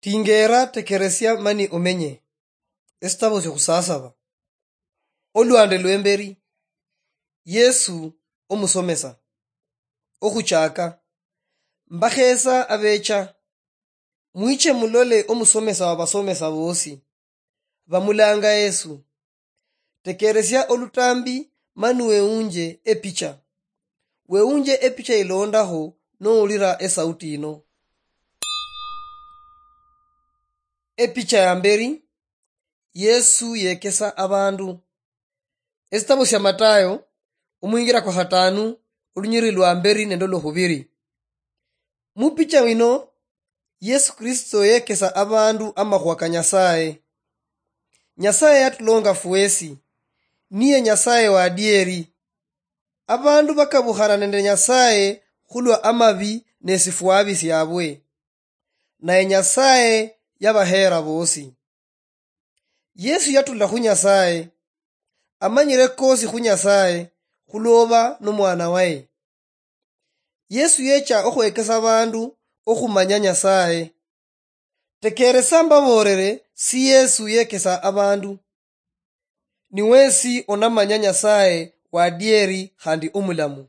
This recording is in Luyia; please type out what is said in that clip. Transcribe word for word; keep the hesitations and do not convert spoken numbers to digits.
Tingeera, tekeresia mani omenye. Esitabo syokhusasaba. Olwande lwemberi. Yesu omusomesa. Okhuchaka. Mbakheesa abecha. Mwiche mulole omusomesa wa basomesa boosi. Bamulanga Yesu. Tekeresia olutambi mani weunje epicha. Weunje epicha ilondakho nowulira esauti yino. Epicha ya mberi, Yesu yekesa abandu. Esitabo sya Matayo, omwingira kwa khataanu, olunyiriri lwa mberi nende olwokhubiri. Mupicha wino, Yesu Kristo yekesa abandu amakhuwa ka Nyasaye. Nyasaye yatulonga fwesi, niye Nyasaye wa adieri. Abandu bakabukhana nende Nyasaye khulwa amabi nesifwabi syabwe. Naye Nyasaye yabaheera boosi. Yesu yatula khu Nyasaye, amanyire kosi khu Nyasaye khulwoba nomwana waye. Yesu yecha okhwekesa abandu okhumanya Nyasaye. Tekeresa mbaboolere si Yesu yekesa abandu. Niwesi onamanya Nyasaye wadieri khandi omulamu.